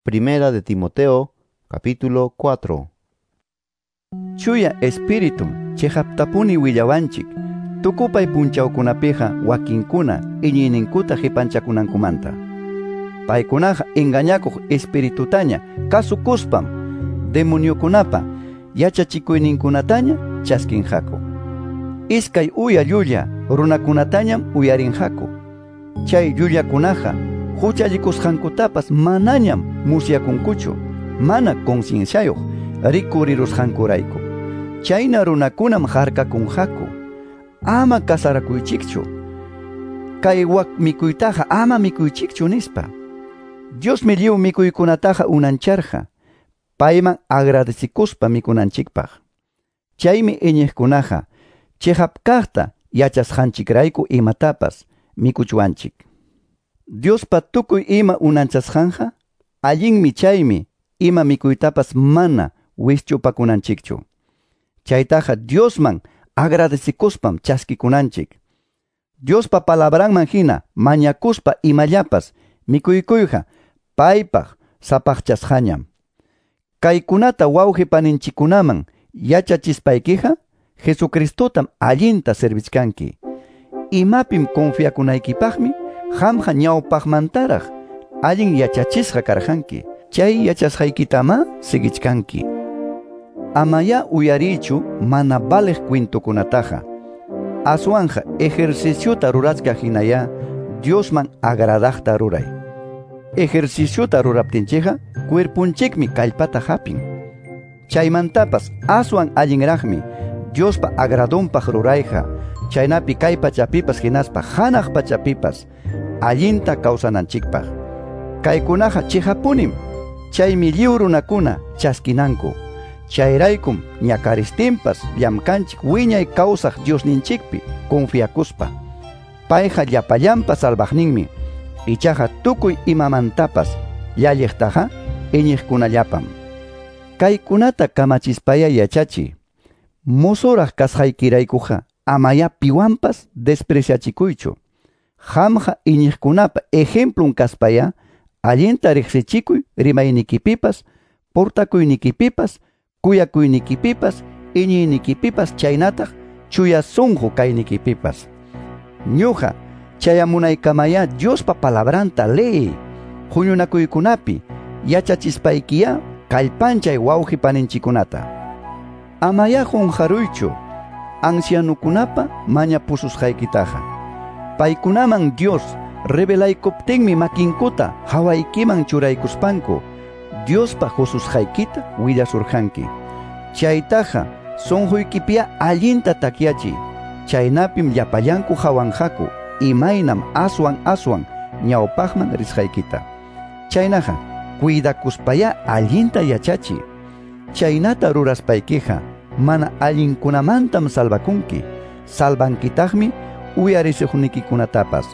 Primera de Timoteo, capítulo 4. Chuya Espíritum chiqaptapuni willawanchik tukupay punchawkunapiqa wakinkuna iñiyninkuta qipanchakunankumanta. Paykunaqa engañakuq espiritutaña kasukuspam demoniokunapa yachachikuyninkunataña chaskinqaku. Iskay uya llulla runakunatañam uyarinqaku. Chay llullakunaqa huchallikusqankutapas manañam musyakunkuchu, mana concienciayuq rikurirusqankurayku. Chayna runakunam harkakunqaku. Ama kasarakuychikchu. Kay wak mikuytaqa ama mikuychikchu nispa. Diosmi lliw mikuykunataqa unancharqa, payman agradecikuspa mikunanchikpaq. Chaymi iñiqkunaqa chiqap kaqta yachasqanchikrayku imatapas mikuchwanchik. Diospa tukuy ima unanchasqanqa allinmi, chaymi ima mikuytapas mana wischupakunanchikchu. Chaytaqa Diosman agradecikuspam chaskikunanchik. Diospa palabranman hina mañakuspa imallapas mikuykuyqa paypaq sapaqchasqañam. Kaykunata wawqi paninchikkunaman yachachispaykiqa Jesucristotam allinta servichkanki. Imapim confiakunaykipaqmi qamqa ñawpaqmantaraq allin yachachisqa karqanki. Chay yachasqaykitamá siguichkanki. Amaya uyariychu mana valeq cuentokunataqa. Aswanja ejerciciota rurachkaq hinaya Diosman agradaqta ruray. Ejerciciota ruraptinchikqa cuerpunchikmi kallpata hapin. Chaymantapas aswan allinraqmi Diospa agradonpaq rurayqa, chaynapi kay pachapipas hinaspa hanaq pachapipas allinta kawsananchikpaq. Kaykunaqa chiqapunim, chaymi lliw runakuna chaskinanku. Chayraykum ñakaristinpas llamkanchik wiñay kawsaq Diosninchikpi confiakuspa. Payqa llapallanpa salvaqninmi, ichaqa tukuy imamantapas llalliqtaqa iñiqkunallapam. Kaykunata kamachispaya yachachiy. Mozoraq kasqaykiraykuqa amaya piwanpas despreciachikuychu. Qamqa iñiqkunapa ejemplun kaspaya allinta riqsichikuy rimaynikipipas, portakuynikipipas, kuyakuynikipipas, iñiynikipipas, chaynataq chuya sunqu kaynikipipas. Ñuqa chayamunaykamaya Diospa palabranta leey, huñunakuykunapi yachachispaykiyá kallpanchay wawqi paninchikunata. Amaya qunqaruychu ancianukunapa mañapususqaykitaqa. Paykunaman Dios revelaykuptinmi makinkuta hawaykiman churaykuspanku Diospa hususqaykita willasurqanki. Chaytaqa sunquykipia allinta takyachiy. Chaynapim llapallanku hawanqaku imaynam aswan aswan ñawpaqman risqaykita. Chaynaqa cuidakuspaya allinta yachachiy. Chaynata ruraspaykiqa mana allinkunamantam salvakunki. Salvankitaqmi uyarisuqnikikunatapas.